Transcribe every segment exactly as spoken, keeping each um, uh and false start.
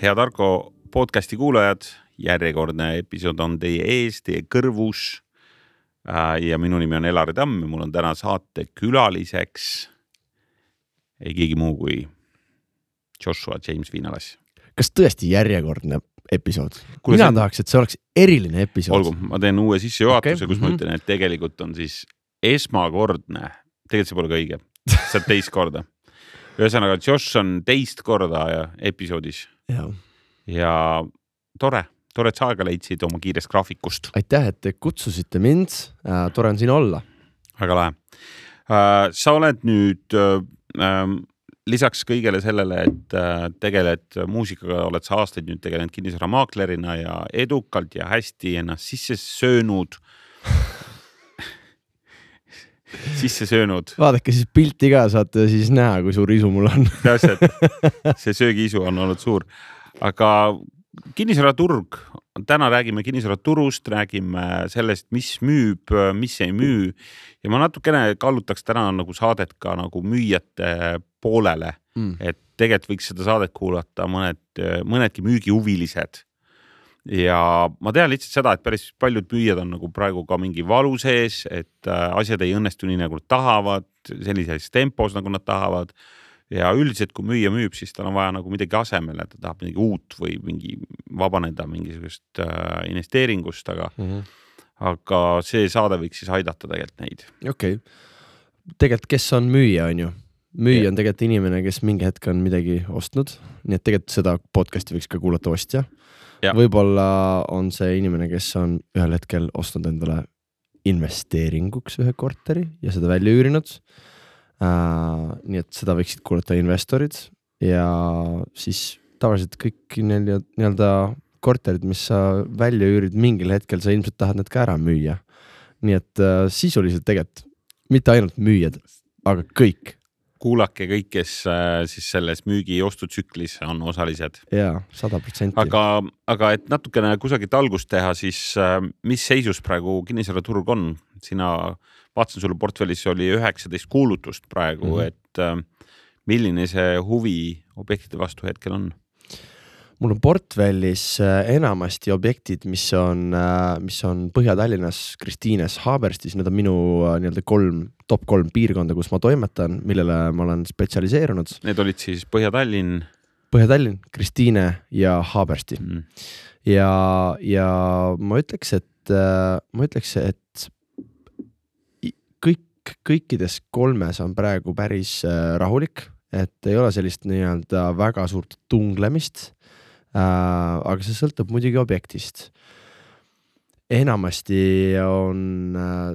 Hea Tarko podcasti kuulajad, järjekordne episood on teie ees, teie kõrvus ja minu nimi on Elari Tamm ja mul on täna saate külaliseks ei keegi muu kui Joshua James Viinalas. Kas tõesti järjekordne episood? Kuule, Mina see... tahaks, et see oleks eriline episood. Olgu, ma teen uue sissejuhatuse, okay. kus mm-hmm. ma ütlen, et tegelikult on siis esmakordne, tegelikult see pole ka õige, see on teist korda. Ühesõnaga, Josh on teist korda episoodis. Ja. ja tore, tore, et sa aega leidsid oma kiirest graafikust. Aitäh, et te kutsusite mind. Äh, tore on siin olla. Väga lahe. Äh, sa oled nüüd äh, lisaks kõigele sellele, et äh, tegeled muusikaga, oled sa aastaid nüüd tegelenud kinnisvaramaaklerina ja edukalt ja hästi ennast sisse söönud. sisse söönud. Vaadake siis pilti ka, saate siis näha, kui suur isu mul on. Täpselt, see söögiisu on olnud suur. Aga kinnisvaraturg, täna räägime kinnisvaraturust, räägime sellest, mis müüb, mis ei müü. Ja ma natukene kallutaks täna nagu saadet ka nagu müüjate poolele, mm. et tegelikult võiks seda saadet kuulata mõned, mõnedki müügihuvilised. Ja ma tean lihtsalt seda, et päris paljud müüjad on nagu praegu ka mingi valu sees, et asjad ei õnnestu nii nagu nad tahavad, sellises tempos nagu nad tahavad. Ja üldiselt, kui müüja müüb, siis tal on vaja nagu midagi asemele, ta tahab midagi uut või mingi vabaneda mingisugust investeeringust, aga, mm-hmm. aga see saade võiks siis aidata tegelikult neid. Okei. Okay. Tegelikult kes on müüja, on ju? Müüja yeah. on tegelikult inimene, kes mingi hetk on midagi ostnud, nii et tegelikult seda podcasti võiks ka kuulata ostja. Ja. Võib-olla on see inimene, kes on ühel hetkel ostnud endale investeeringuks ühe korteri ja seda välja üürinud. Uh, nii et seda võiksid kuulata investorid ja siis tavaliselt kõik nii-öelda korterid, mis sa välja üürid mingil hetkel, sa ilmselt tahad need ka ära müüa. Nii et uh, sisuliselt tegelikult mitte ainult müüjad, aga kõik. Kuulake kõik, kes äh, siis selles müügi ostutsüklis on osalised. Jaa, sada protsenti. Aga, aga et natukene kusagilt algust teha, siis äh, mis seisus praegu kinnisvaraturg on? Sina vaatasin sulle portfellis oli üheksateist kuulutust praegu, mm-hmm. et äh, milline see huvi objektide vastu hetkel on? Mul on portfellis enamasti objektid, mis on, mis on Põhja-Tallinnas, Kristiines, Haaberstis. Need on minu nii-öelda kolm, top kolm piirkonda, kus ma toimetan, millele ma olen spetsialiseerunud. Need olid siis Põhja-Tallinn? Põhja-Tallinn, Kristiine ja Haabersti. Mm. Ja, ja ma ütleks, et, ma ütleks, et kõik, kõikides kolmes on praegu päris rahulik, et ei ole sellist nii-öelda väga suurt tunglemist. Uh, aga see sõltub muidugi objektist. Enamasti on, uh,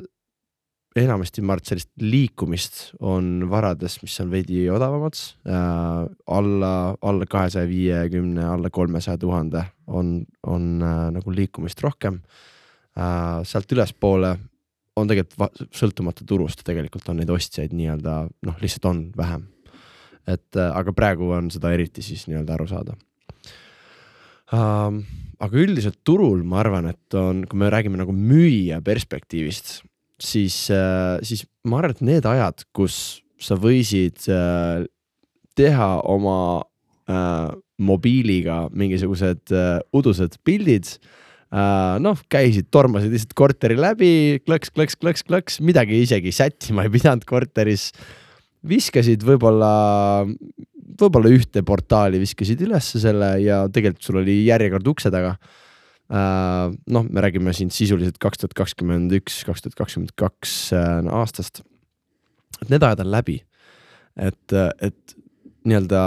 enamasti ma arvan, sellist liikumist on varades, mis on veidi odavamad. Uh, alla, alla kahesaja viiekümne, alla kolmesaja tuhande on, on uh, nagu liikumist rohkem. Uh, sealt ülespoole on tegelikult va- sõltumata turust, tegelikult on neid ostjaid nii-öelda, noh, lihtsalt on vähem. Et, uh, aga praegu on seda eriti siis nii-öelda aru saada. Uh, aga üldiselt turul ma arvan, et on, kui me räägime nagu müüja perspektiivist, siis, uh, siis ma arvan, et need ajad, kus sa võisid uh, teha oma uh, mobiiliga mingisugused uh, udused pildid, uh, noh, käisid, tormasid lihtsalt korteri läbi, klõks, klõks, klõks, klõks, midagi isegi sättima ei pidanud korteris, viskasid võib-olla võib-olla ühte portaali viskasid ülesse selle ja tegelikult sul oli järjekord ukse taga. Uh, noh, me räägime siin sisuliselt kaks tuhat kakskümmend üks, kaks tuhat kakskümmend kaks uh, aastast. Et need ajad on läbi. Et, et nii-öelda,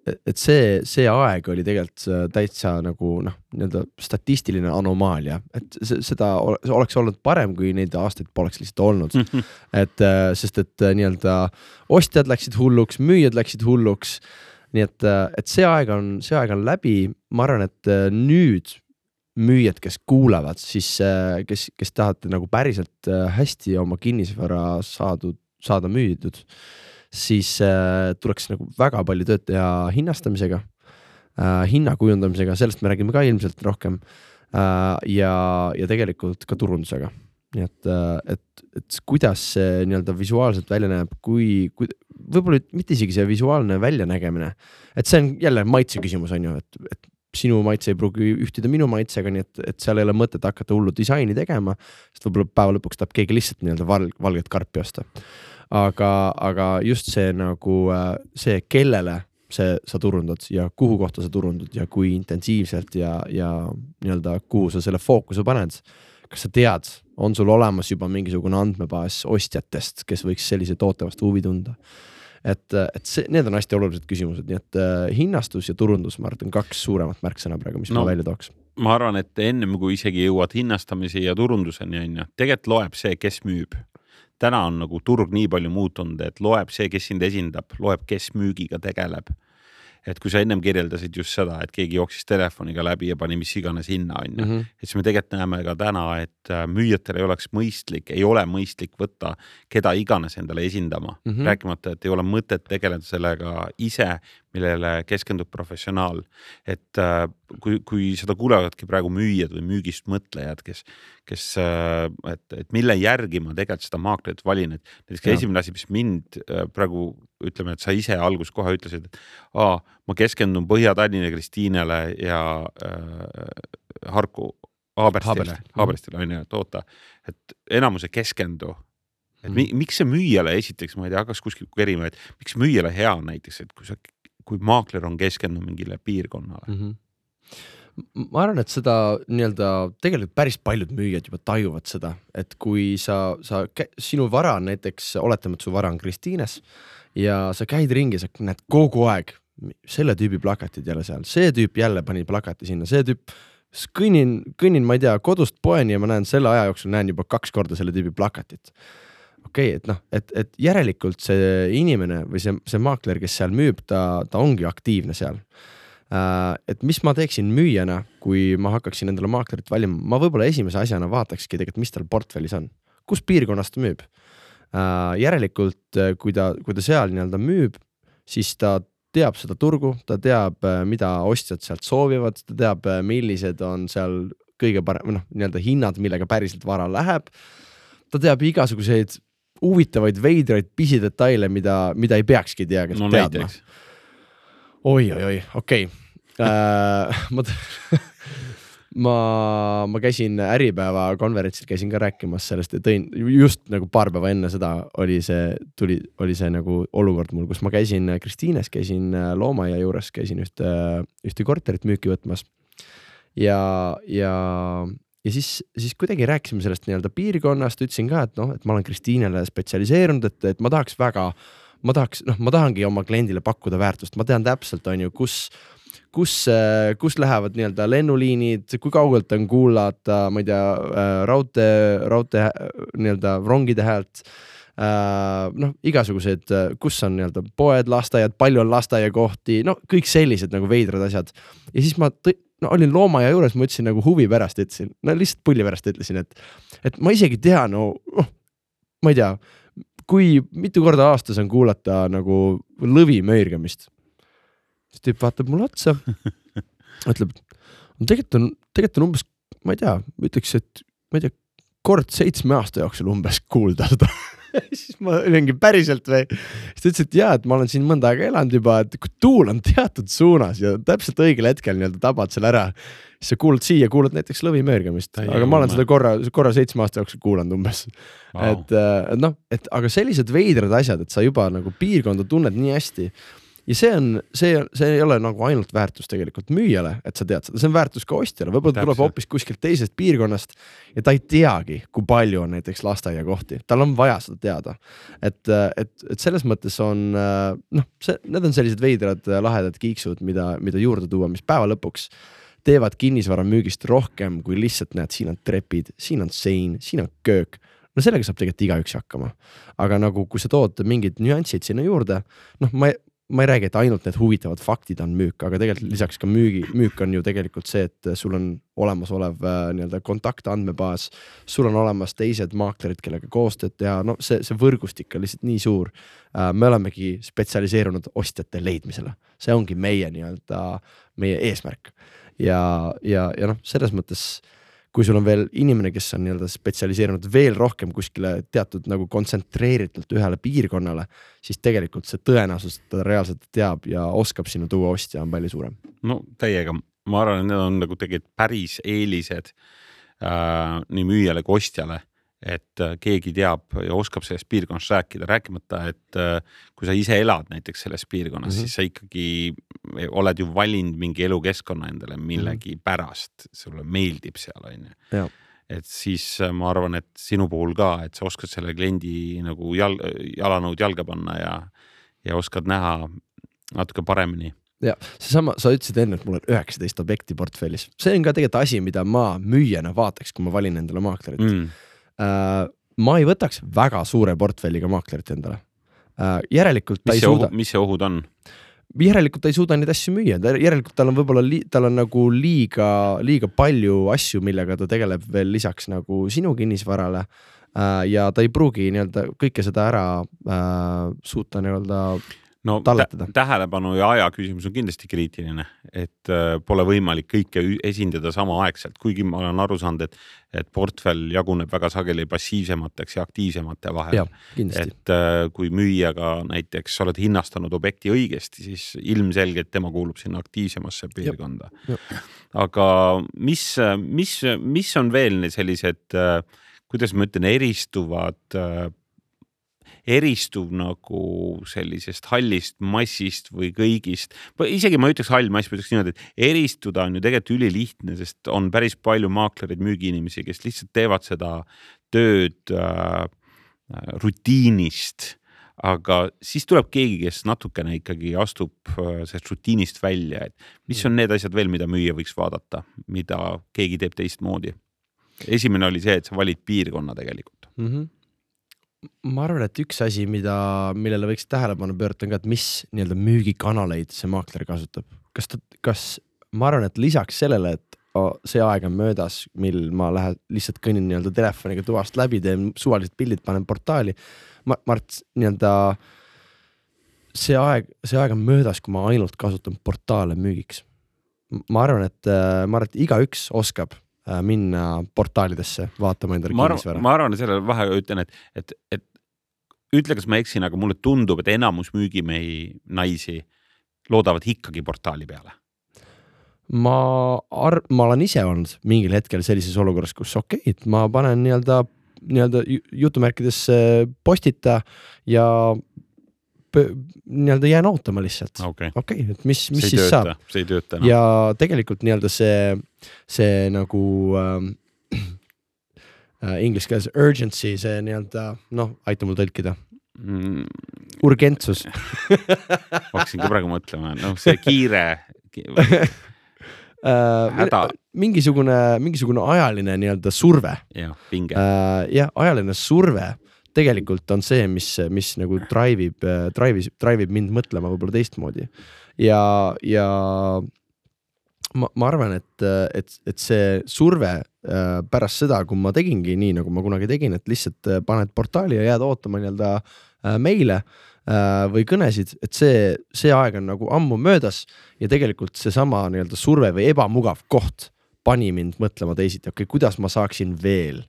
et see, see aeg oli tegelikult täitsa nagu, noh, nii-öelda statistiline anomaalia. Et seda oleks olnud parem, kui neid aastaid poleks lihtsalt olnud. et, sest et nii-öelda ostjad läksid hulluks, müüjad läksid hulluks. Nii et, et see aeg on, see aeg on läbi. Ma arvan, et nüüd müüjad, kes kuulavad, siis kes, kes tahate nagu päriselt hästi oma kinnisvara saadud, saada müüdud, siis äh, tuleks nagu väga palju tööd teha hinnastamisega, äh, hinna kujundamisega, sellest me räägime ka ilmselt rohkem äh, ja, ja tegelikult ka turundusega. nii et, et, et kuidas see nii-öelda visuaalselt välja näeb, kui, kui võib-olla mitte isegi see visuaalne väljanägemine, et see on jälle maitse küsimus on ju, et, et sinu maitse ei pruugi ühtida minu maitsega, nii et, et seal ei ole mõtet hakata hullu disaini tegema, sest võib-olla päeva lõpuks tahab keegi lihtsalt nii-öelda val, valget karpi osta. Aga, aga just see nagu see, kellele see sa turundad ja kuhu kohta sa turundad ja kui intensiivselt ja, ja nii-öelda kuhu sa selle fookuse paned. Kas sa tead, on sul olemas juba mingisugune andmebaas ostjatest, kes võiks sellise toote vastu huvi tunda? Et, et see, need on hästi olulised küsimused, nii et uh, hinnastus ja turundus, ma arvan, kaks suuremat märksõna praegu, mis no, ma välja tooks. Ma arvan, et ennem kui isegi jõuad hinnastamise ja turunduseni, on ju, tegelikult loeb see, kes müüb. Täna on nagu turg nii palju muutunud, et loeb see, kes sind esindab, loeb, kes müügiga tegeleb. Et kui sa ennem kirjeldasid just seda, et keegi jooksis telefoniga läbi ja pani mis iganes hinna, on ju. Mm -hmm. Et siis me tegelikult näeme ka täna, et müüjatel ei oleks mõistlik, ei ole mõistlik võtta keda iganes endale esindama. Mm -hmm. Rääkimata, et ei ole mõtet tegeleda sellega ise, millele keskendub professionaal. Et kui, kui seda kuulevadki praegu müüjad või müügist mõtlejad, kes, kes, et, et mille järgi ma tegelikult seda maaklerit valin, et näiteks esimene asi, mis mind praegu ütleme, et sa ise algus kohe ütlesid, et aa, ma keskendun Põhja-Tallinna Kristiinele ja äh, Harku Haaberstile, Haaberstile on ju toota, et enamuse keskendu. Et mm. miks see müüjale esiteks, ma ei tea, hakkas kuskil kerima, et miks müüjale hea on näiteks, et kui, sa, kui maakler on keskendunud mingile piirkonnale? Mm -hmm. Ma arvan, et seda nii-öelda tegelikult päris paljud müüjad juba tajuvad seda, et kui sa, sa sinu vara on näiteks, oletame, et su vara on Kristiines ja sa käid ringi, sa näed kogu aeg selle tüübi plakatid jälle seal, see tüüp jälle pani plakati sinna, see tüüp kõnnin, kõnnin, ma ei tea, kodust poeni ja ma näen selle aja jooksul näen juba kaks korda selle tüübi plakatit. Okei, okay, et noh, et, et järelikult see inimene või see, see maakler, kes seal müüb, ta, ta ongi aktiivne seal. Uh, et mis ma teeksin müüjana, kui ma hakkaksin endale maaklerit valima, ma võib-olla esimese asjana vaatakski tegelikult, mis tal portfellis on, kus piirkonnast ta müüb. Uh, järelikult, kui ta, kui ta seal nii-öelda müüb, siis ta teab seda turgu, ta teab, mida ostjad sealt soovivad, ta teab, millised on seal kõige parem, noh, nii-öelda hinnad, millega päriselt vara läheb. Ta teab igasuguseid huvitavaid, veidraid pisidetaile, mida, mida ei peakski tea, kes no, teadma. Oi, oi, oi, okei. Okay. Uh, ma, ma, ma käisin Äripäeva konverentsil, käisin ka rääkimas sellest ja tõin just nagu paar päeva enne seda oli see, tuli, oli see nagu olukord mul, kus ma käisin Kristiines, käisin Loomaia juures, käisin ühte, ühte korterit müüki võtmas ja, ja, ja siis, siis kuidagi rääkisime sellest nii-öelda piirkonnast, ütlesin ka, et noh, et ma olen Kristiinele spetsialiseerunud, et, et ma tahaks väga, ma tahaks, noh, ma tahangi oma kliendile pakkuda väärtust, ma tean täpselt, on ju, kus kus, kus lähevad nii-öelda lennuliinid, kui kaugelt on kuulata, ma ei tea, raudtee, raudtee nii-öelda rongide häält, noh, igasugused, kus on nii-öelda poed, lasteaiad, palju on lasteaiakohti, no kõik sellised nagu veidrad asjad. Ja siis ma tõ- no, olin Loomaia juures, ma ütlesin nagu huvi pärast, ütlesin, no lihtsalt pulli pärast ütlesin, et, et ma isegi tean, no, oh, ma ei tea, kui mitu korda aastas on kuulata nagu lõvi möirgamist. Siis tüüp vaatab mulle otsa, ütleb, tegelikult on, tegelikult on umbes, ma ei tea, ütleks, et ma ei tea, kord seitsme aasta jooksul umbes kuulda seda. Siis ma olengi päriselt või. Siis ta ütles, et jaa, et ma olen siin mõnda aega elanud juba, et kui tuul on teatud suunas ja täpselt õigel hetkel nii-öelda tabad selle ära, siis sa kuulad siia, kuulad näiteks lõvi möörgamist, aga ma olen seda korra, korra seitsme aasta jooksul kuulanud umbes. Wow. Et noh, et aga sellised veidrad asjad, et sa juba nagu piirkonda tunned nii hästi. Ja see on, see, see ei ole nagu ainult väärtus tegelikult müüjale, et sa tead seda, see on väärtus ka ostjale, võib-olla tuleb hoopis kuskilt teisest piirkonnast ja ta ei teagi, kui palju on näiteks lasteaia kohti, tal on vaja seda teada. Et, et, et selles mõttes on, noh, see, need on sellised veidrad lahedad kiiksud, mida, mida juurde tuua, mis päeva lõpuks teevad kinnisvara müügist rohkem, kui lihtsalt näed, siin on trepid, siin on sein, siin on köök. No sellega saab tegelikult igaüks hakkama. Aga nagu, kui sa tood mingid nüansid sinna juurde, noh, ma ei, ma ei räägi, et ainult need huvitavad faktid on müük, aga tegelikult lisaks ka müügi, müük on ju tegelikult see, et sul on olemas olev nii-öelda kontaktandmebaas, sul on olemas teised maaklerid, kellega koostööd teha, no see, see võrgustik on lihtsalt nii suur. Me olemegi spetsialiseerunud ostjate leidmisele. See ongi meie nii-öelda, meie eesmärk. Ja, ja, ja noh, selles mõttes, kui sul on veel inimene, kes on nii-öelda spetsialiseerunud veel rohkem kuskile teatud nagu kontsentreeritult ühele piirkonnale, siis tegelikult see tõenäosus, et ta reaalselt teab ja oskab sinu tuua ostja on palju suurem. No täiega, ma arvan, et need on nagu tegelikult päris eelised äh, nii müüjale kui ostjale, et keegi teab ja oskab sellest piirkonnast rääkida, rääkimata, et kui sa ise elad näiteks selles piirkonnas, mm-hmm. siis sa ikkagi oled ju valinud mingi elukeskkonna endale millegi mm-hmm. pärast, sulle meeldib seal, on ju. Et siis ma arvan, et sinu puhul ka, et sa oskad selle kliendi nagu jal, jalanõud jalga panna ja, ja oskad näha natuke paremini. Ja see sama, sa ütlesid enne, et mul on üheksateist objekti portfellis. See on ka tegelikult asi, mida ma müüjana vaataks, kui ma valin endale maaklerit. Mm. Uh, ma ei võtaks väga suure portfelliga maaklerit endale. Uh, järelikult ta mis ei suuda... Ohu, mis see ohud on? Järelikult ta ei suuda neid asju müüa. Järelikult tal on võib-olla li... tal on nagu liiga, liiga palju asju, millega ta tegeleb veel lisaks nagu sinu kinnisvarale uh, ja ta ei pruugi nii-öelda kõike seda ära uh, suuta nii-öelda no talletada. Tähelepanu ja aja küsimus on kindlasti kriitiline, et äh, pole võimalik kõike esindada sama aegselt, kuigi ma olen aru saanud, et, et portfell jaguneb väga sageli passiivsemateks ja aktiivsemate vahel. Ja, et äh, kui müüjaga näiteks oled hinnastanud objekti õigesti, siis ilmselgelt tema kuulub sinna aktiivsemasse piirkonda. Ja. Ja. Aga mis, mis, mis on veel sellised, äh, kuidas ma ütlen, eristuvad äh, eristuv nagu sellisest hallist massist või kõigist. Isegi ma ütleks hall mass, ma ütleks niimoodi, et eristuda on ju tegelikult ülilihtne, sest on päris palju maaklerid, müügiinimesi, kes lihtsalt teevad seda tööd äh, rutiinist, aga siis tuleb keegi, kes natukene ikkagi astub äh, sellest rutiinist välja, et mis on need asjad veel, mida müüja võiks vaadata, mida keegi teeb teistmoodi. Esimene oli see, et sa valid piirkonna tegelikult. Mhm. Ma arvan, et üks asi, mida, millele võiks tähelepanu pöörata on ka, et mis nii-öelda müügikanaleid see maakler kasutab. Kas, ta, kas ma arvan, et lisaks sellele, et see aeg on möödas, mil ma lähen lihtsalt kõnnin nii-öelda telefoniga tuvast läbi, teen suvalised pildid, panen portaali. Ma, Mart, nii-öelda see aeg, see aeg on möödas, kui ma ainult kasutan portaale müügiks. Ma arvan, et, ma arvan, et iga üks oskab minna portaalidesse vaatama endale kinnisvara. Ma arvan, et selle vahe ütlen, et, et, et ütle, kas ma eksin, aga mulle tundub, et enamus müügimehi naisi loodavad ikkagi portaali peale. Ma, ar- ma olen ise olnud mingil hetkel sellises olukorras, kus okei, et ma panen nii-öelda, nii-öelda jutumärkides postita ja nii-öelda jään ootama lihtsalt. Okei, okay, et mis, mis see siis tööta, saab. See ei tööta. No. Ja tegelikult nii-öelda see, see nagu ähm, äh, inglise keeles urgency, see nii-öelda, noh, aita mul tõlkida. Mm. Urgentsus. Hakkasin ka praegu mõtlema, noh, see kiire häda. Mingisugune, mingisugune ajaline nii-öelda surve. Ja, pinge. Äh, ja, ajaline surve tegelikult on see, mis, mis nagu drive'ib, drive'ib, drive'ib mind mõtlema võib-olla teistmoodi. Ja, ja ma, ma arvan, et, et, et see surve pärast seda, kui ma tegingi nii, nagu ma kunagi tegin, et lihtsalt paned portaali ja jääd ootama nii-öelda meile või kõnesid, et see, see aeg on nagu ammu möödas ja tegelikult see sama nii-öelda surve või ebamugav koht pani mind mõtlema teisiti, okei, kuidas ma saaksin veel.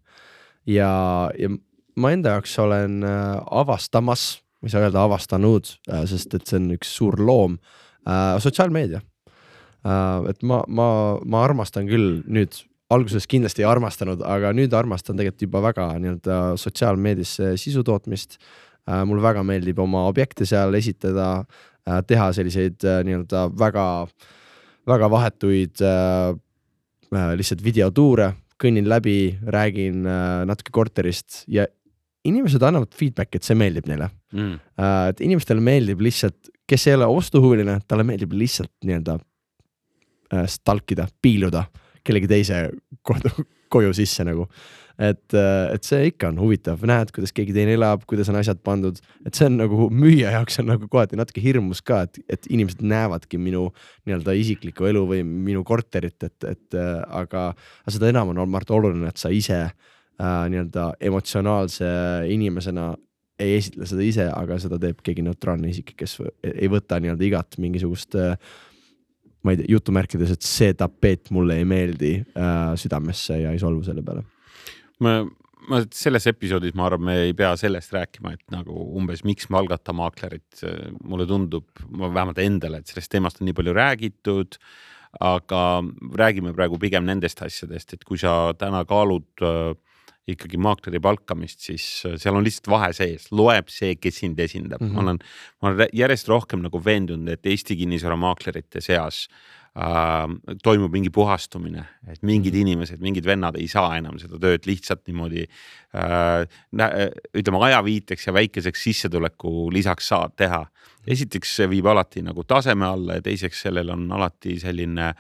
Ja, ja ma enda jaoks olen avastamas, ma ei saa öelda avastanud, sest et see on üks suur loom, sotsiaalmeedia. Et ma, ma, ma armastan küll nüüd, alguses kindlasti ei armastanud, aga nüüd armastan tegelikult juba väga nii-öelda sotsiaalmeedisse sisutootmist. Mul väga meeldib oma objekte seal esitada, teha selliseid nii-öelda väga, väga vahetuid lihtsalt videotuure, kõnnin läbi, räägin natuke korterist ja inimesed annavad feedback, et see meeldib neile. Mm. Et inimestele meeldib lihtsalt, kes ei ole ostuhuviline, talle meeldib lihtsalt nii-öelda stalkida, piiluda kellegi teise kodu, koju sisse nagu. Et, et see ikka on huvitav, näed, kuidas keegi teine elab, kuidas on asjad pandud, et see on nagu müüja jaoks on nagu kohati natuke hirmus ka, et, et inimesed näevadki minu nii-öelda isiklikku elu või minu korterit, et, et aga, aga seda enam on olnud oluline, et sa ise äh, nii-öelda emotsionaalse inimesena ei esitle seda ise, aga seda teeb keegi neutraalne isik, kes ei võta nii-öelda igat mingisugust äh, ma ei tea, jutumärkides, et see tapeet mulle ei meeldi äh, südamesse ja ei solvu selle peale. Ma, ma selles episoodis ma arvan, me ei pea sellest rääkima, et nagu umbes miks me algata maaklerit. Mulle tundub, ma vähemalt endale, et sellest teemast on nii palju räägitud, aga räägime praegu pigem nendest asjadest, et kui sa täna kaalud äh, ikkagi maakleri palkamist, siis seal on lihtsalt vahe sees, loeb see, kes sind esindab. Mm-hmm. Ma olen, ma olen järjest rohkem nagu veendunud, et Eesti kinnisvara maaklerite seas äh, toimub mingi puhastumine, et mingid mm-hmm. inimesed, mingid vennad ei saa enam seda tööd lihtsalt niimoodi äh, ütleme ajaviiteks ja väikeseks sissetuleku lisaks saad teha. Esiteks see viib alati nagu taseme alla ja teiseks sellel on alati selline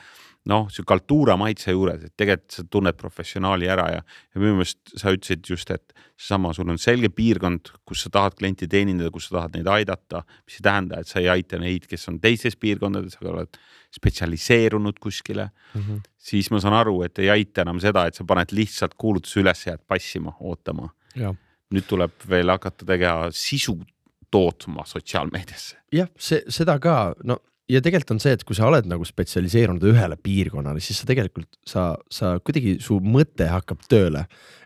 noh, see kultuura maitse juures, et tegelikult sa tunned professionaali ära ja, ja minu meelest sa ütlesid just, et sama, sul on selge piirkond, kus sa tahad klienti teenindada, kus sa tahad neid aidata, mis ei tähenda, et sa ei aita neid, kes on teises piirkondades, aga oled spetsialiseerunud kuskile, mm-hmm. siis ma saan aru, et ei aita enam seda, et sa paned lihtsalt kuulutuse üles jääd passima, ootama. Ja. Nüüd tuleb veel hakata tegema sisu tootma sotsiaalmeediasse. Jah, see, seda ka, no ja tegelikult on see, et kui sa oled nagu spetsialiseerunud ühele piirkonnale, siis sa tegelikult, sa, sa kuidagi su mõte hakkab tööle.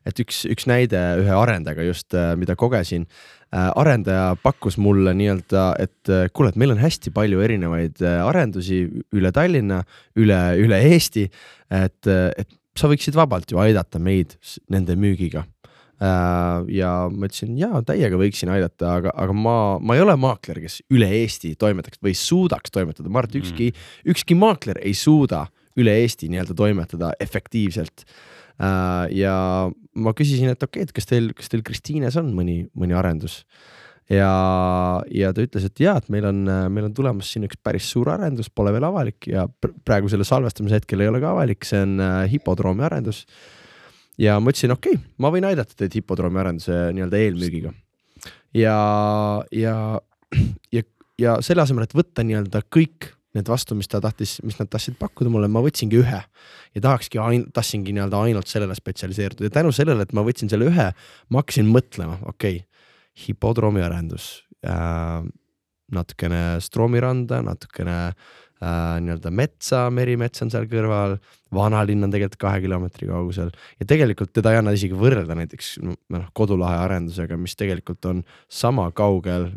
Et üks, üks näide ühe arendajaga just, mida kogesin, arendaja pakkus mulle nii-öelda, et kuule, et meil on hästi palju erinevaid arendusi üle Tallinna, üle, üle Eesti, et, et sa võiksid vabalt ju aidata meid nende müügiga. Ja ma ütlesin, jaa, täiega võiksin aidata, aga, aga ma, ma ei ole maakler, kes üle Eesti toimetaks või suudaks toimetada. Ma arvan, et ükski, ükski maakler ei suuda üle Eesti nii-öelda toimetada efektiivselt. Ja ma küsisin, et okei, et kas teil, kas teil Kristiines on mõni, mõni arendus? Ja, ja ta ütles, et jaa, et meil on, meil on tulemas siin üks päris suur arendus, pole veel avalik ja praegu selle salvestamise hetkel ei ole ka avalik, see on hipodroomi arendus. Ja ma ütlesin, okei, okay, ma võin aidata teid hipodroomi arenduse nii-öelda eelmüügiga. Ja, ja, ja, ja selle asemel, et võtta nii-öelda kõik need vastu, mis, ta tahtis, mis nad tahtsid pakkuda mulle, ma võtsingi ühe. Ja tahakski, ain, tahtsingi nii-öelda ainult sellele spetsialiseeruda. Ja tänu sellele, et ma võtsin selle ühe, ma hakkasin mõtlema, okei, okay, hipodroomi arendus, äh, natukene stroomiranda, natukene äh, nii-öelda metsa, merimets on seal kõrval, vanalinn on tegelikult kahe kilomeetri kaugusel ja tegelikult teda ei anna isegi võrrelda näiteks no, Kodulahe arendusega, mis tegelikult on sama kaugel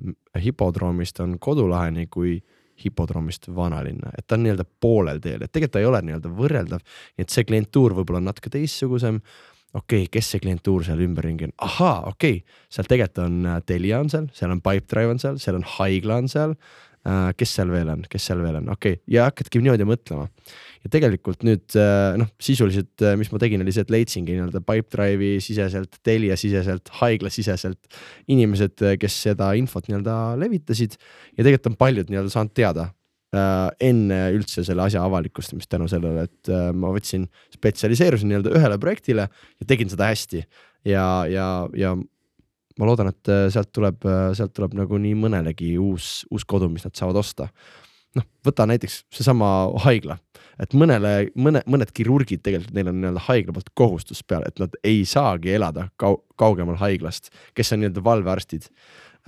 hipodroomist on Kodulaheni kui hipodroomist vanalinna, et ta on nii-öelda poolel teel, et tegelikult ta ei ole nii-öelda võrreldav, nii et see klientuur võib-olla on natuke teissugusem, okei, okay, kes see klientuur seal ümberringi on, ahaa, okei okay., seal tegelikult on Telia on seal, seal on Pipedrive on seal, seal on Haigla on seal, Uh, kes seal veel on, kes seal veel on, okei, okay. ja hakkadki niimoodi mõtlema. Ja tegelikult nüüd, uh, noh, sisuliselt, uh, mis ma tegin, oli see, et leidsingi nii-öelda Pipedrive'i siseselt, Telia siseselt, Haigla siseselt inimesed, kes seda infot nii-öelda levitasid ja tegelikult on paljud nii-öelda saanud teada uh, enne üldse selle asja avalikustamist tänu sellele, et uh, ma võtsin spetsialiseerusin nii-öelda ühele projektile ja tegin seda hästi ja, ja, ja ma loodan, et sealt tuleb, sealt tuleb nagu nii mõnelegi uus, uus kodu, mis nad saavad osta. Noh, võta näiteks seesama haigla, et mõnele, mõne, mõned kirurgid tegelikult, neil on nii-öelda haigla poolt kohustus peale, et nad ei saagi elada kau, kaugemal haiglast, kes on nii-öelda valvearstid.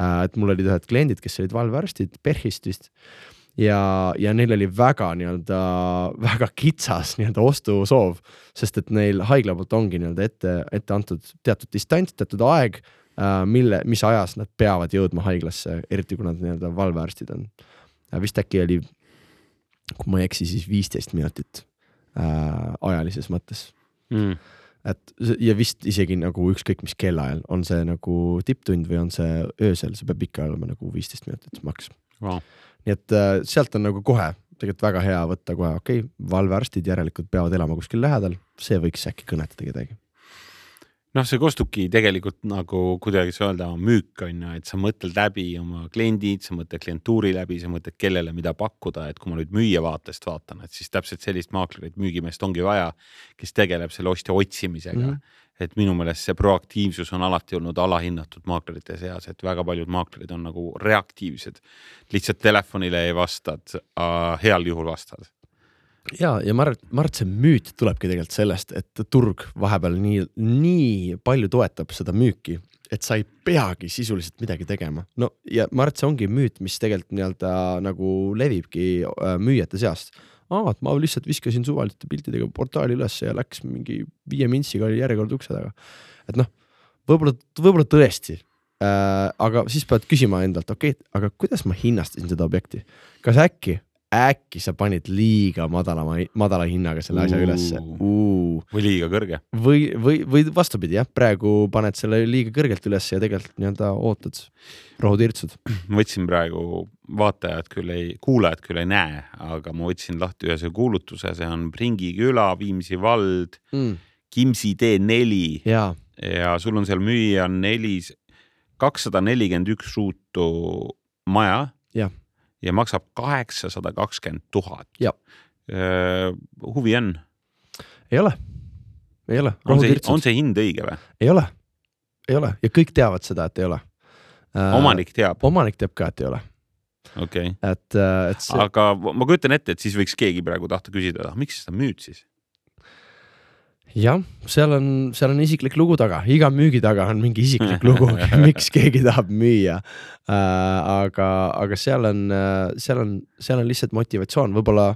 Et mul olid ühed kliendid, kes olid valvearstid Perhist vist ja, ja neil oli väga nii-öelda, väga kitsas nii-öelda ostusoov, sest et neil haigla poolt ongi nii-öelda ette, ette antud teatud distants, teatud aeg, mille, mis ajas nad peavad jõudma haiglasse, eriti kui nad nii-öelda valvearstid on. Vist äkki oli, kui ma ei eksi, siis viisteist minutit äh, ajalises mõttes. Mm. Et, ja vist isegi nagu ükskõik mis kellaajal, on see nagu tipptund või on see öösel, see peab ikka olema nagu viisteist minutit maks. Wow. Nii et äh, sealt on nagu kohe tegelikult väga hea võtta kohe, okei, okay, valvearstid järelikult peavad elama kuskil lähedal, see võiks äkki kõnetada kedagi. Noh, see kostubki tegelikult nagu kuidagi see öelda müük on ju, et sa mõtled läbi oma kliendid, sa mõtled klientuuri läbi, sa mõtled kellele mida pakkuda, et kui ma nüüd müüja vaatest vaatan, et siis täpselt sellist maaklerit müügimeest ongi vaja, kes tegeleb selle ostja otsimisega. Mm-hmm. Et minu meelest see proaktiivsus on alati olnud alahinnatud maaklerite seas, et väga paljud maaklerid on nagu reaktiivsed. Lihtsalt telefonile ei vastad, heal juhul vastad. Ja, ja ma arvan, ma arvan, et see müüt tulebki tegelikult sellest, et turg vahepeal nii, nii palju toetab seda müüki, et sa ei peagi sisuliselt midagi tegema. No ja ma arvan, et see ongi müüt, mis tegelikult nii-öelda nagu levibki müüjate seast. aa, et ma lihtsalt viskasin suvaliste piltidega portaali üles ja läks mingi viie mintsiga oli järjekord ukse taga. Et noh, võib-olla, võib-olla tõesti, äh, aga siis pead küsima endalt, okei, okay, aga kuidas ma hinnastasin seda objekti? Kas äkki, äkki sa panid liiga madala, madala hinnaga selle asja ülesse? Uh. Või liiga kõrge? Või, või, või vastupidi, jah, praegu paned selle liiga kõrgelt üles ja tegelikult nii-öelda ootad, rohutirtsud. Võtsin praegu, vaatajad küll ei, kuulajad küll ei näe, aga ma võtsin lahti ühe see kuulutuse, see on Pringi küla, Viimsi vald, mm. Kimsi tee neli ja. ja sul on seal müüa nelis, kakssada nelikümmend üks ruutu maja ja, ja maksab kaheksasada kakskümmend tuhat. Ja. Uh, huvi on? Ei ole. Ei ole. On see, on see hind õige või? Ei ole. Ei ole. Ja kõik teavad seda, et ei ole. Omanik teab? Omanik teab ka, et ei ole. Okay. Et, et see... Aga ma kujutan ette, et siis võiks keegi praegu tahta küsida, miks seda müüd siis? Jah, seal on, seal on isiklik lugu taga. Iga müügi taga on mingi isiklik lugu, miks keegi tahab müüa. Äh, aga, aga seal on, seal on, seal on lihtsalt motivatsioon. Võibolla,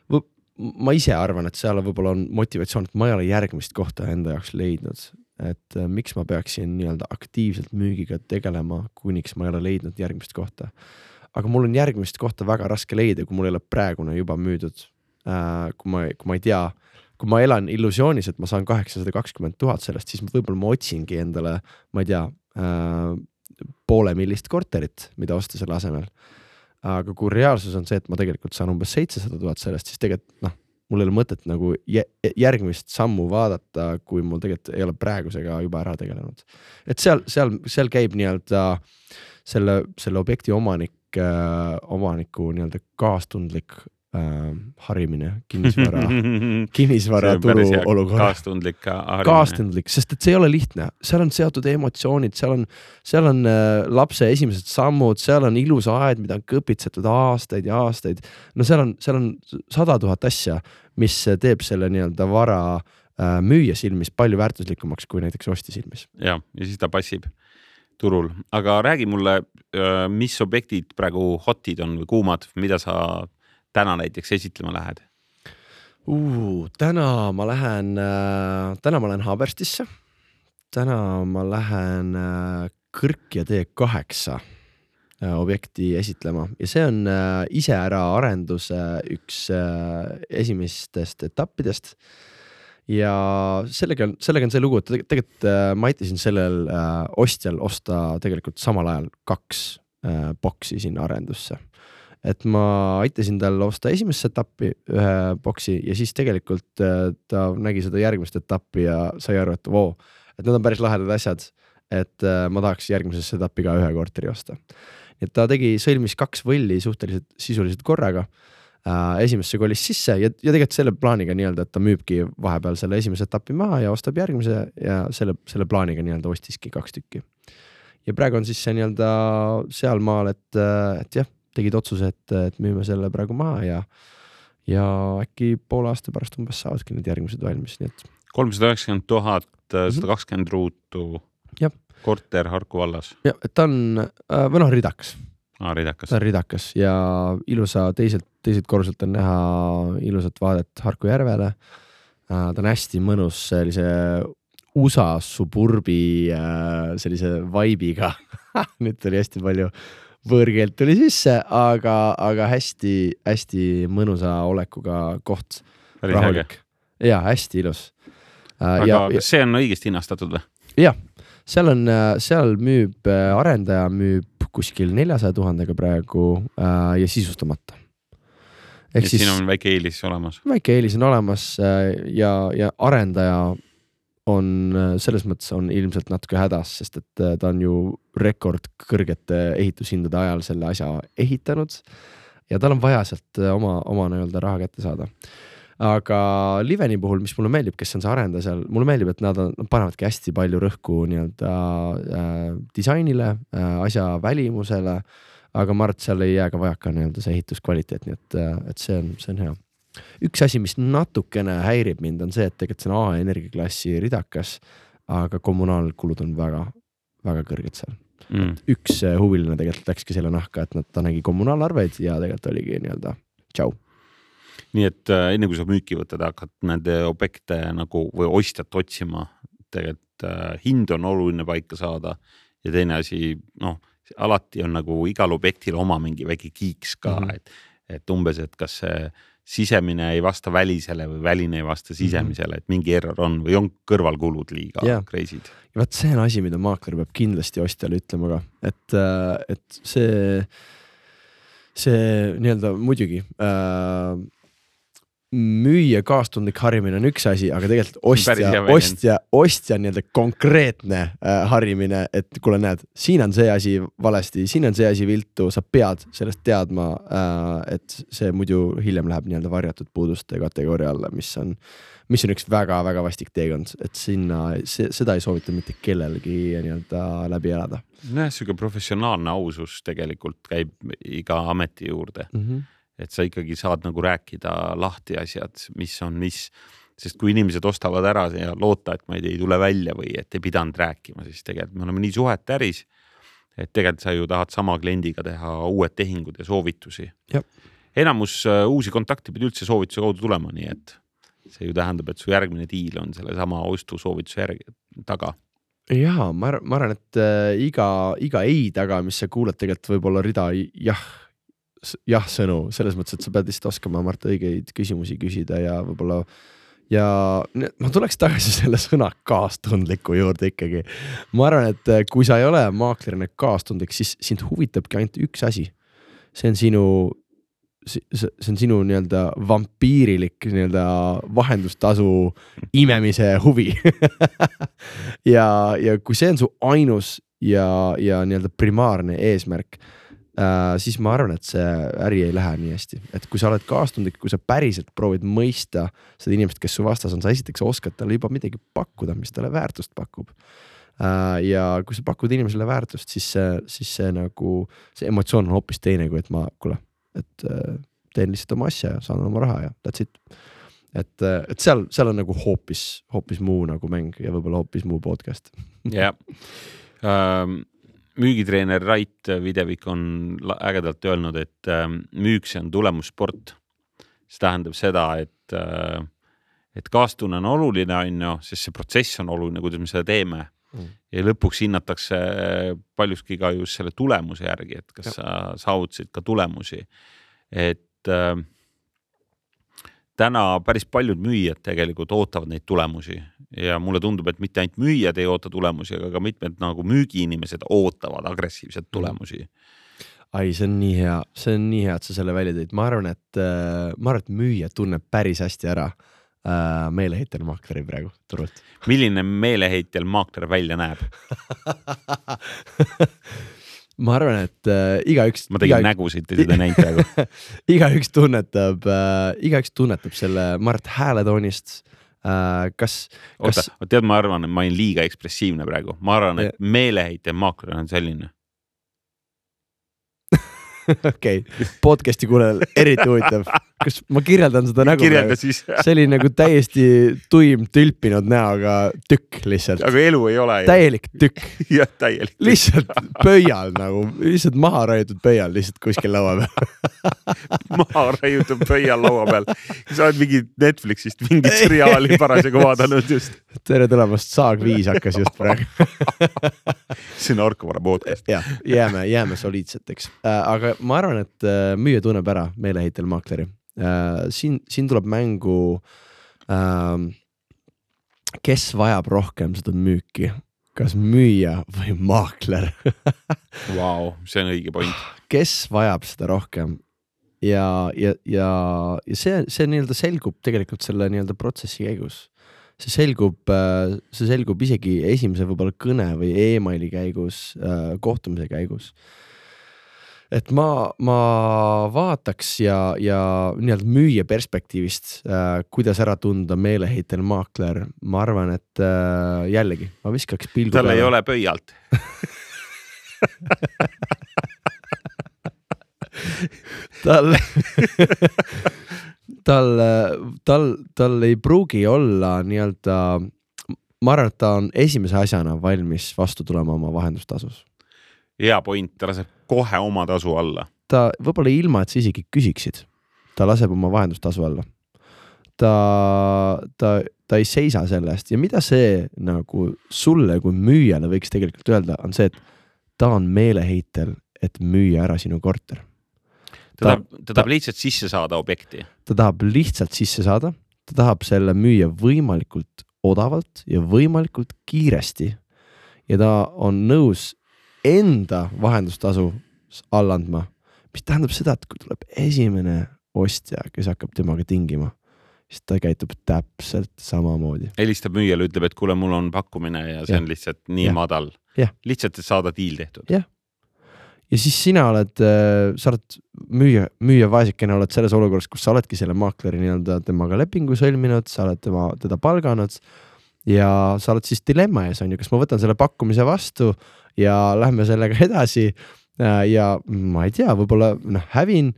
võib, ma ise arvan, et seal võibolla on motivatsioon, et ma ei ole järgmist kohta enda jaoks leidnud. Et äh, miks ma peaksin nii-öelda aktiivselt müügiga tegelema, kuniks ma ei ole leidnud järgmist kohta. Aga mul on järgmist kohta väga raske leida, kui mul ei ole praegune juba müüdud. Äh, kui ma, kui ma ei tea, kui ma elan illusioonis, et ma saan kaheksasada kakskümmend tuhat sellest, siis võib-olla ma otsingi endale, ma ei tea, äh, poole millist korterit, mida osta selle asemel. Aga kui reaalsus on see, et ma tegelikult saan umbes seitsesada tuhat sellest, siis tegelikult noh, mul ei ole mõtet nagu järgmist sammu vaadata, kui mul tegelikult ei ole praegusega juba ära tegelenud. Et seal, seal, seal käib nii-öelda selle, selle objekti omanik, äh, omaniku nii-öelda kaastundlik Äh, harimine, kinnisvara, kinnisvara turu olukorra. Kaastundlik harimine. Kaastundlik, sest et see ei ole lihtne. Seal on seotud emotsioonid, seal on, seal on äh, lapse esimesed sammud, seal on ilus aed, mida on kõpitsetud aastaid ja aastaid. No seal on, seal on sada tuhat asja, mis teeb selle nii-öelda vara äh, müüja silmis palju väärtuslikumaks kui näiteks osti silmis. Ja, ja siis ta passib turul. Aga räägi mulle, äh, mis objektid praegu hotid on või kuumad, mida sa täna näiteks esitlema lähed? Uh, täna ma lähen, äh, täna ma lähen Haberstisse. Täna ma lähen äh, Kõrkja tee kaheksa äh, objekti esitlema ja see on äh, ise ära arenduse üks äh, esimestest etappidest. Ja sellega, sellega on see lugu, et tegelikult äh, ma aitasin sellel äh, ostjal osta tegelikult samal ajal kaks äh, boksi sinna arendusse. Et ma aitasin tal osta esimest etappi ühe boksi ja siis tegelikult ta nägi seda järgmist etappi ja sai aru, et voo, et need on päris lahedad asjad, et ma tahaks järgmises etappi ka ühe korteri osta. Et ta tegi, sõlmis kaks võlli suhteliselt sisuliselt korraga. Esimesse kolis sisse ja, ja tegelikult selle plaaniga nii-öelda, et ta müübki vahepeal selle esimese etappi maha ja ostab järgmise ja selle, selle plaaniga nii-öelda ostiski kaks tükki. Ja praegu on siis see nii-öelda seal maal, et, et jah, tegid otsuse, et, et müüme selle praegu maha ja, ja äkki poole aasta pärast umbes saavadki need järgmised valmis. Nii et... kolmsada üheksakümmend tuhat, sada kakskümmend ruutu, ja. Korter Harku vallas. Ja, et ta on, või noh, ridakas. Ah, ridakas. Ta on ridakas ja ilusa teiselt, teiselt korruselt on näha ilusat vaadet Harku järvele. Ta on hästi mõnus sellise U S A suburbi sellise vaibiga. Nüüd oli hästi palju võõrkeelt tuli sisse, aga, aga hästi, hästi mõnusa olekuga koht. Rahulik. Ja, hästi ilus. Aga ja, kas see on õigesti hinnastatud või? Jah, seal on, seal müüb, arendaja müüb kuskil neljasaja tuhandega praegu ja sisustamata. Ehk siis siin on väike eelis olemas. Väike eelis on olemas ja, ja arendaja on selles mõttes on ilmselt natuke hädas, sest et ta on ju rekord kõrgete ehitushindade ajal selle asja ehitanud ja tal on vaja sealt oma, oma nii-öelda raha kätte saada. Aga Liveni puhul, mis mulle meeldib, kes on see arendaja seal, mulle meeldib, et nad, on, nad panevadki hästi palju rõhku nii-öelda äh, disainile, äh, asja välimusele, aga ma arvan, et seal ei jää ka vajaka nii-öelda see ehituskvaliteet, nii et, et see on, see on hea. Üks asi, mis natukene häirib mind, on see, et tegelikult see on A energiaklassi ridakas, aga kommunaalkulud on väga, väga kõrged seal. Mm. Üks huviline tegelikult läkski selle nahka, et nad, ta nägi kommunaalarveid ja tegelikult oligi nii-öelda tšau. nii et äh, enne kui sa müüki võtad, hakkad nende objekte nagu või ostjat otsima, tegelikult äh, hind on oluline paika saada ja teine asi, noh, alati on nagu igal objektil oma mingi väike kiiks ka, mm -hmm. et, et umbes, et kas see sisemine ei vasta välisele või väline ei vasta sisemisele, et mingi error on või on kõrvalkulud liiga yeah. crazy'd. Ja vaat see on asi, mida maakler peab kindlasti ostjale ütlema ka, et, et see, see nii-öelda muidugi äh, müüa kaastundlik harimine on üks asi, aga tegelikult ostja, ostja, ostja nii-öelda konkreetne äh, harimine, et kuule näed, siin on see asi valesti, siin on see asi viltu, sa pead sellest teadma, äh, et see muidu hiljem läheb nii-öelda varjatud puuduste kategooria alla, mis on, mis on üks väga-väga vastik teekond, et sinna, see, seda ei soovita mitte kellelgi nii-öelda läbi elada. Näe, siuke professionaalne ausus tegelikult käib iga ameti juurde. Mm -hmm. et sa ikkagi saad nagu rääkida lahti asjad, mis on mis, sest kui inimesed ostavad ära ja loota, et ma ei, ei tule välja või et ei pidanud rääkima, siis tegelikult me oleme nii suhet äris, et tegelikult sa ju tahad sama kliendiga teha uued tehingud ja soovitusi. Jab. Enamus uh, uusi kontakte pidi üldse soovituse kaudu tulema, nii et see ju tähendab, et su järgmine diil on selle sama ostu soovituse järgi taga. Jaa, ma, ma arvan, et äh, iga, iga ei taga, mis sa kuuled, tegelikult võib olla rida jah, jah sõnu, selles mõttes, et sa pead lihtsalt oskama Mart õigeid küsimusi küsida ja võib-olla ja ma tuleks tagasi selle sõna kaastundliku juurde ikkagi. Ma arvan, et kui sa ei ole maaklerina kaastundlik, siis sind huvitabki ainult üks asi. See on sinu, see on sinu nii-öelda vampiirilik nii-öelda vahendustasu imemise huvi. ja, ja kui see on su ainus ja, ja nii-öelda primaarne eesmärk, Uh, siis ma arvan, et see äri ei lähe nii hästi, et kui sa oled kaastundlik, kui sa päriselt proovid mõista seda inimest, kes su vastas on, sa esiteks oskad talle juba midagi pakkuda, mis talle väärtust pakub. Uh, ja kui sa pakud inimesele väärtust, siis see, siis see nagu, see emotsioon on hoopis teine, kui et ma, kuule, et uh, teen lihtsalt oma asja ja saan oma raha ja that's it. Et, et seal, seal on nagu hoopis, hoopis muu nagu mäng ja võib-olla hoopis muu podcast. Jah. Um... Müügitreener Rait Videvik on ägedalt öelnud, et müüks on tulemussport. See tähendab seda, et, et kaastunne on oluline, on ju, sest see protsess on oluline, kuidas me seda teeme. Mm. Ja lõpuks hinnatakse paljuski ka just selle tulemuse järgi, et kas ja. sa saavutasid ka tulemusi. Et äh, täna päris paljud müüjad tegelikult ootavad neid tulemusi. Ja mulle tundub, et mitte ainult müüjad ei oota tulemusi, aga ka mitmed nagu müügiinimesed ootavad agressiivset tulemusi. Ai, see on nii hea, see on nii hea, et sa selle välja tõid. Ma arvan, et, ma arvan, et müüja tunneb päris hästi ära äh, meeleheitel maakleri praegu turult. Milline meeleheitel maakler välja näeb? Ma arvan, et äh, igaüks... Ma tegin iga... nägusid ja seda näinud praegu. igaüks tunnetab, äh, igaüks tunnetab selle, ma arvan, et hääletoonist. Uh, kas, kas... Oota, tead, ma arvan, et ma olin liiga ekspressiivne praegu. Ma arvan, et meeleheitel maakler on selline. Okei, okay. Podcasti kuulel eriti huvitav. Kas ma kirjeldan seda nägu? Kirjelda siis. See oli nagu täiesti tuim tülpinud näoga tükk lihtsalt. Aga elu ei ole. Täielik tükk. Jah, täielik tükk. Lihtsalt pöial nagu, lihtsalt maha raiutud pöial lihtsalt kuskil laua peal. maha raiutud pöial laua peal. Sa oled mingi Netflixist mingit seriaali parasjagu vaadanud just. Tere tulemast, Saag viis hakkas just praegu. See on Arkvara podcast. Ja, jääme, jääme soliidseteks. Aga ma arvan, et müüja tunneb ära meeleheitel maakleri. Siin, siin tuleb mängu, kes vajab rohkem seda müüki, kas müüja või maakler. Vau, see on õige point. Kes vajab seda rohkem ja, ja, ja, ja see, see nii-öelda selgub tegelikult selle nii-öelda protsessi käigus. See selgub, see selgub isegi esimese võib-olla kõne või e-maili käigus, kohtumise käigus. Et ma, ma vaataks ja, ja nii-öelda müüja perspektiivist, äh, kuidas ära tunda meeleheitel maakler. Ma arvan, et äh, jällegi, ma viskaks pilgu Tal peale. Ei ole pöialt. tal, tal, tal, tal ei pruugi olla nii-öelda, ma arvan, et ta on esimese asjana valmis vastu tulema oma vahendustasus. Hea point, ta laseb kohe oma tasu alla. Ta võib-olla ilma, et sa isegi küsiksid. ta laseb oma vahendustasu alla. Ta, ta, ta ei seisa selle eest ja mida see nagu sulle kui müüjale võiks tegelikult öelda, on see, et ta on meeleheitel, et müüa ära sinu korter. Ta, ta, tahab, ta tahab lihtsalt sisse saada objekti. Ta tahab lihtsalt sisse saada, ta tahab selle müüa võimalikult odavalt ja võimalikult kiiresti ja ta on nõus enda vahendustasu alla andma, mis tähendab seda, et kui tuleb esimene ostja, kes hakkab temaga tingima, siis ta käitub täpselt samamoodi. Helistab müüjale, ütleb, et kuule, mul on pakkumine ja see ja. on lihtsalt nii ja. madal. Ja. Lihtsalt, et saada diil tehtud. Jah. Ja siis sina oled, sa oled müüja, müüja vaesikene, oled selles olukorras, kus sa oledki selle maakleri nii-öelda temaga lepingu sõlminud, sa oled tema, teda palganud ja sa oled siis dilemma ees, on ju, kas ma võtan selle pakkumise vastu ja lähme sellega edasi ja ma ei tea, võib-olla noh, hävin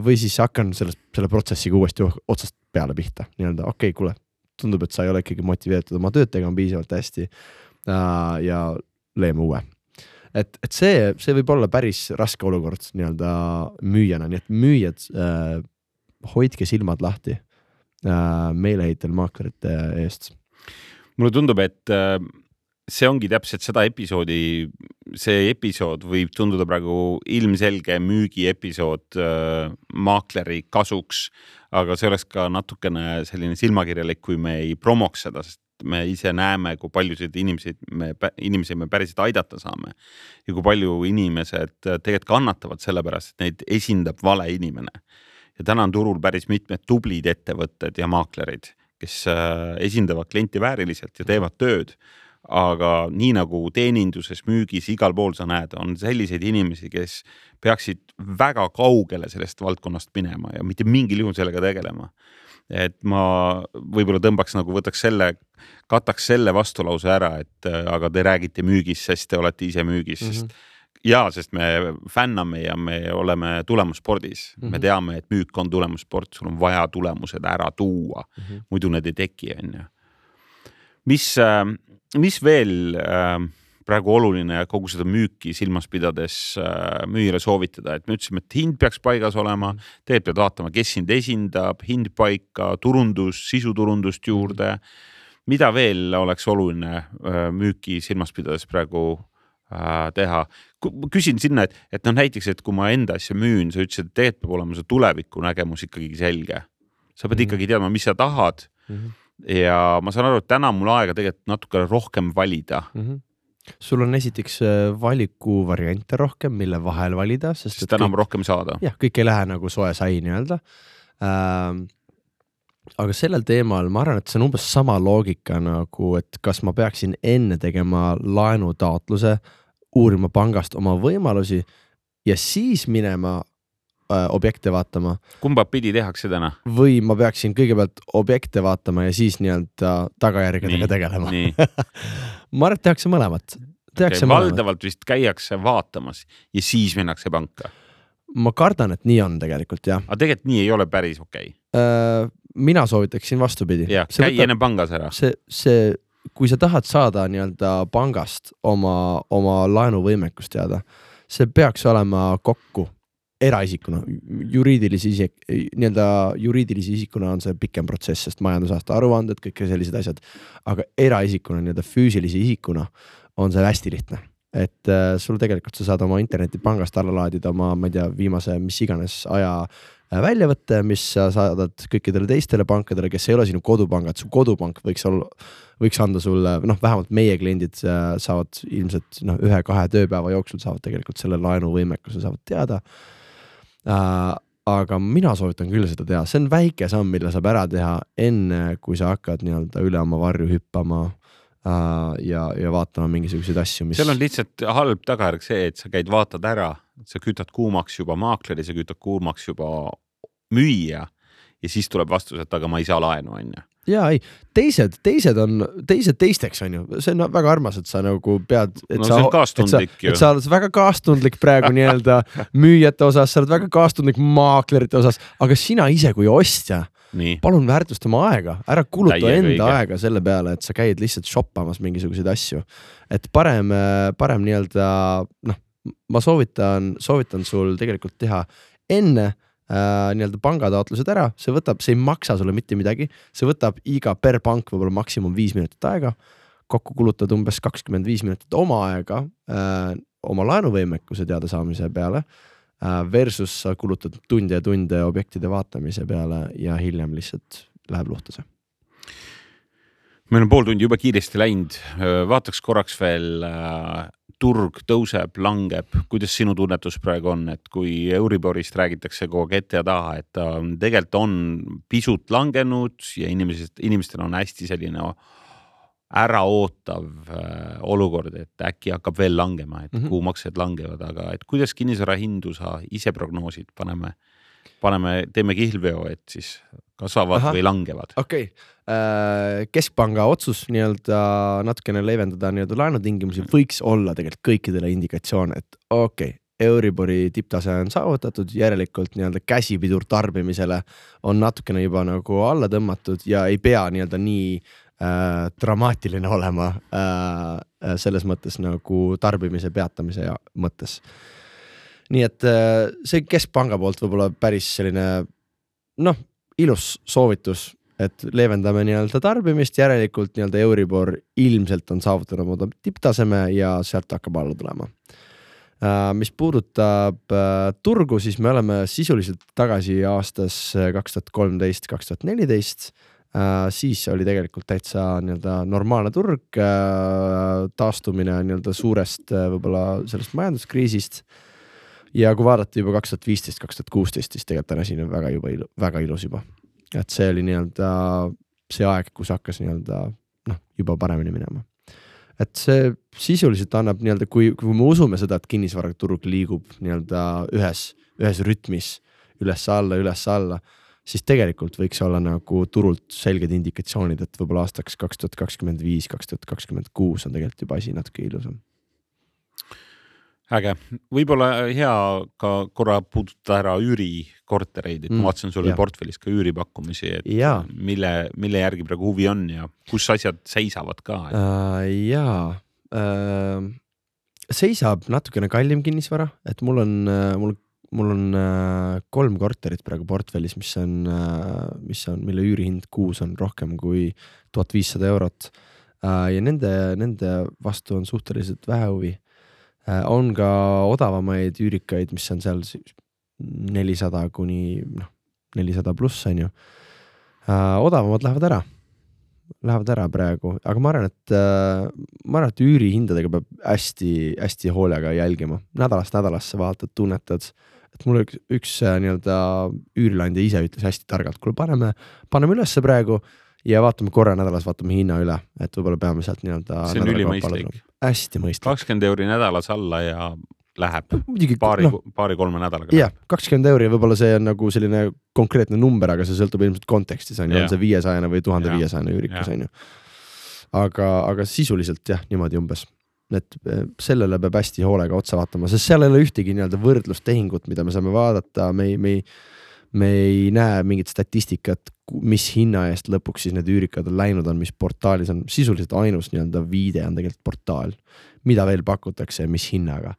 või siis hakkan selle, selle protsessiga uuesti otsast peale pihta. Nii-öelda, okei, okay, kuule, tundub, et sa ei ole ikkagi motiveeritud oma tööd tegema piisavalt hästi ja leeme uue. Et, et see, see võib olla päris raske olukord nii-öelda müüjana, nii et müüjad äh, hoidke silmad lahti äh, meeleheitel maaklerite eest. Mulle tundub, et äh, see ongi täpselt seda episoodi, see episood võib tunduda praegu ilmselge müügi episood äh, maakleri kasuks, aga see oleks ka natukene selline silmakirjalik, kui me ei promoks seda, sest me ise näeme, kui paljusid inimesi me, inimesi me päriselt aidata saame ja kui palju inimesed tegelikult kannatavad sellepärast, et neid esindab vale inimene. Ja täna on turul päris mitmed tublid ettevõtted ja maaklerid, kes esindavad klienti vääriliselt ja teevad tööd. Aga nii nagu teeninduses, müügis, igal pool sa näed, on selliseid inimesi, kes peaksid väga kaugele sellest valdkonnast minema ja mitte mingil juhul sellega tegelema. Et ma võib-olla tõmbaks nagu võtaks selle, kataks selle vastulause ära, et aga te räägite müügis, sest te olete ise müügis. Mm-hmm. Sest, ja, sest me fänname ja me oleme tulemusspordis. Mm-hmm. Me teame, et müük on tulemussport, sul on vaja tulemused ära tuua. Mm-hmm. Muidu need ei teki, on ju. Mis, mis veel praegu oluline kogu seda müüki silmas pidades müüjale soovitada, et me ütlesime, et hind peaks paigas olema, teed pead vaatama, kes sind esindab, hind paika, turundus, sisuturundust juurde. Mida veel oleks oluline müüki silmas pidades praegu teha? Küsin sinna, et, et no näiteks, et kui ma enda asja müün, sa ütlesid, et teed peab olema see tuleviku nägemus ikkagi selge. Sa pead mm-hmm. ikkagi teadma, mis sa tahad mm-hmm. ja ma saan aru, et täna mul aega tegelikult natuke rohkem valida. Mm-hmm. Sul on esiteks valiku variante rohkem, mille vahel valida, sest, sest täna on rohkem saada. Jah, kõik ei lähe nagu soe sai nii-öelda. Ähm, aga sellel teemal ma arvan, et see on umbes sama loogika nagu, et kas ma peaksin enne tegema laenutaotluse, uurima pangast oma võimalusi ja siis minema äh, objekte vaatama. Kumba pidi tehakse täna? Või ma peaksin kõigepealt objekte vaatama ja siis nii-öelda tagajärgedega tegelema. Nii. Ma arvan, et tehakse mõlemat. Tehakse okay, valdavalt vist käiakse vaatamas ja siis minnakse panka. Ma kardan, et nii on tegelikult, jah. Aga tegelikult nii ei ole päris okei. Okay. Mina soovitaksin vastupidi. Ja, see käi võtab, enne pangas ära. See, see, kui sa tahad saada nii-öelda pangast oma, oma laenuvõimekust teada, see peaks olema kokku eraisikuna, juriidilisi isik, nii-öelda juriidilisi isikuna on see pikem protsess, sest majandusaasta aruanded, kõik sellised asjad, aga eraisikuna, nii-öelda füüsilisi isikuna on see hästi lihtne. Et äh, sul tegelikult sa saad oma internetipangast alla laadida oma, ma ei tea, viimase mis iganes aja väljavõtte, mis sa saadad kõikidele teistele pankadele, kes ei ole sinu kodupangad, su kodupank võiks olla, võiks anda sulle, noh, vähemalt meie kliendid saavad ilmselt noh, ühe-kahe tööpäeva jooksul saavad tegelikult selle laenuvõimekuse saavad teada. Äh, aga mina soovitan küll seda teha, see on väike samm, mille saab ära teha enne, kui sa hakkad nii-öelda üle oma varju hüppama äh, ja, ja vaatama mingisuguseid asju, mis... Seal on lihtsalt halb tagajärg see, et sa käid vaatad ära, sa kütad kuumaks juba maakleri, sa kütad kuumaks juba müüja ja siis tuleb vastus, et aga ma ei saa laenu, on ju. Jaa, ei, teised, teised on, teised teisteks on ju, see on väga armas, et sa nagu pead, et, no, sa, et, sa, et sa oled väga kaastundlik praegu nii-öelda müüjate osas, sa oled väga kaastundlik maaklerite osas, aga sina ise kui ostja, nii. Palun väärtusta oma aega, ära kuluta Täie enda kõige. Aega selle peale, et sa käid lihtsalt shoppamas mingisuguseid asju, et parem, parem nii-öelda, noh, ma soovitan, soovitan sul tegelikult teha enne äh, nii-öelda pangataotlused ära, see võtab, see ei maksa sulle mitte midagi, see võtab iga per pank võib-olla maksimum viis minutit aega, kokku kulutad umbes kakskümmend viis minutit oma aega äh, oma laenuvõimekuse teada saamise peale äh, versus sa kulutad tunde ja tunde objektide vaatamise peale ja hiljem lihtsalt läheb luhtuse. Meil on pool tundi juba kiiresti läinud, vaataks korraks veel, turg tõuseb, langeb, kuidas sinu tunnetus praegu on, et kui Euriborist räägitakse kogu aeg ette ja taha, et ta tegelikult on pisut langenud ja inimesed, inimestel on hästi selline äraootav olukord, et äkki hakkab veel langema, et mm-hmm. kuhu maksed langevad, aga et kuidas kinnisvara hindu sa ise prognoosid, paneme, paneme, teeme kihlveo, et siis kasvavad Aha. või langevad. Okei, okay. Keskpanga otsus nii-öelda natukene leevendada nii-öelda laenutingimusi võiks olla tegelikult kõikidele indikatsioon, et okei, okay, Euribori tipptase on saavutatud, järelikult nii-öelda käsipidur tarbimisele on natukene juba nagu alla tõmmatud ja ei pea nii-öelda nii äh, dramaatiline olema äh, selles mõttes nagu tarbimise peatamise ja mõttes. Nii et äh, see Keskpanga poolt võib-olla päris selline noh, ilus soovitus, et leevendame nii-öelda tarbimist, järelikult nii-öelda Euribor ilmselt on saavutanud oma tipptaseme ja sealt hakkab alla tulema. Mis puudutab turgu, siis me oleme sisuliselt tagasi aastas kaks tuhat kolmteist kaks tuhat neliteist. Siis oli tegelikult täitsa nii-öelda normaalne turg, taastumine nii-öelda suurest võib-olla sellest majanduskriisist. Ja kui vaadata juba kaks tuhat viisteist kaks tuhat kuusteist, siis tegelikult täna siin on väga, juba ilu, väga ilus juba. Et see oli nii-öelda see aeg, kus hakkas nii-öelda noh, juba paremini minema. Et see sisuliselt annab nii-öelda, kui, kui me usume seda, et kinnisvaraturg liigub nii-öelda ühes, ühes rütmis üles alla, üles alla, siis tegelikult võiks olla nagu turult selged indikatsioonid, et võib-olla aastaks kaks tuhat kakskümmend viis kaks tuhat kakskümmend kuus on tegelikult juba asi natuke ilusam. Äge. Võib-olla hea ka korra puudutada ära üürikortereid, et mm, ma vaatasin sulle portfellis ka üüripakkumisi, et ja. mille, mille järgi praegu huvi on ja kus asjad seisavad ka? Et... Uh, jaa, uh, seisab natukene kallim kinnisvara, et mul on, uh, mul, mul on uh, kolm korterit praegu portfellis, mis on, uh, mis on, mille üürihind kuus on rohkem kui tuhat viissada eurot uh, ja nende, nende vastu on suhteliselt vähe huvi. On ka odavamaid üürikaid, mis on seal nelisada kuni noh, nelisada pluss on ju. Odavamad lähevad ära. Lähevad ära praegu, aga ma arvan, et ma arvan, et üürihindadega peab hästi, hästi hoolega jälgima. Nädalast nädalasse vaatad, tunnetad, et mul üks, üks nii-öelda üürilandja ise ütles hästi targalt, kuule paneme, paneme ülesse praegu ja vaatame korra nädalas, vaatame hinna üle, et võib-olla peame sealt nii-öelda see on ülimõistlik. Hästi mõistlik. kakskümmend euri nädalas alla ja läheb Muidugi, paari, no, paari kolme nädalaga. Jah, kakskümmend euri võib-olla see on nagu selline konkreetne number, aga see sõltub ilmselt kontekstis, on, on see viiesaja või tuhat viiesaja üürikes, on ju. Aga, aga sisuliselt jah, niimoodi umbes. Et sellele peab hästi hoolega otsa vaatama, sest seal ei ole ühtegi nii-öelda võrdlustehingut, mida me saame vaadata, me ei, me ei, me ei näe mingit statistikat, mis hinna eest lõpuks siis need üürikad on läinud on, mis portaalis on sisuliselt ainus nii-öelda viide on tegelikult portaal, mida veel pakutakse ja mis hinnaga.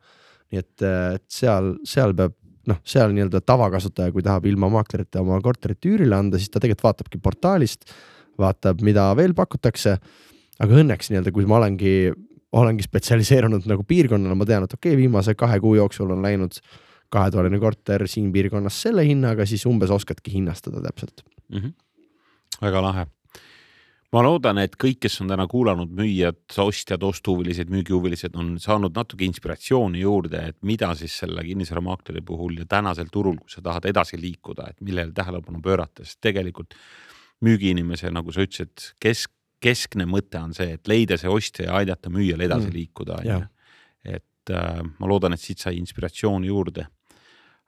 Nii et, et seal, seal peab, noh, seal nii-öelda tavakasutaja, kui tahab ilma maaklerite oma korterit üürile anda, siis ta tegelikult vaatabki portaalist, vaatab, mida veel pakutakse, aga õnneks nii-öelda, kui ma olengi, olengi spetsialiseerunud nagu piirkonnale, ma tean, et okei, okay, viimase kahe kuu jooksul on läinud kahetoaline korter siin piirkonnas selle hinnaga, siis umbes oskadki hinnastada täpselt. Mm-hmm. Väga lahe. Ma loodan, et kõik, kes on täna kuulanud müüjad, ostjad, ostuhuvilised, müügihuvilised on saanud natuke inspiratsiooni juurde, et mida siis selle kinnisvaramaakleri puhul ja tänasel turul, kui sa tahad edasi liikuda, et millele tähelepanu pöörata, sest tegelikult müügiinimese, nagu sa ütlesid, kesk, keskne mõte on see, et leida see ostja ja aidata müüjal edasi mm. liikuda. Et äh, ma loodan, et siit sai inspiratsiooni juurde.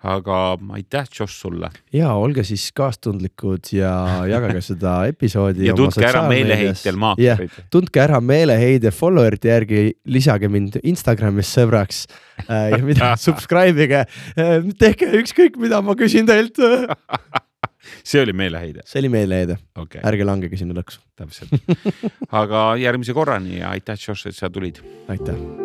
Aga aitäh, Josh, sulle. Ja, olge siis kaastundlikud ja jagage seda episoodi. Ja tundke ära meeleheitel maaklerid. Ja, tundke ära meeleheide followerite järgi, lisage mind Instagramis sõbraks ja mida subscribe'ige. Tehke ükskõik, mida ma küsin teilt. See oli meeleheide. See oli meeleheide. Okay. Ärge langege sinna lõksu. Täpselt. Aga järgmise korrani ja aitäh, Josh, et sa tulid. Aitäh.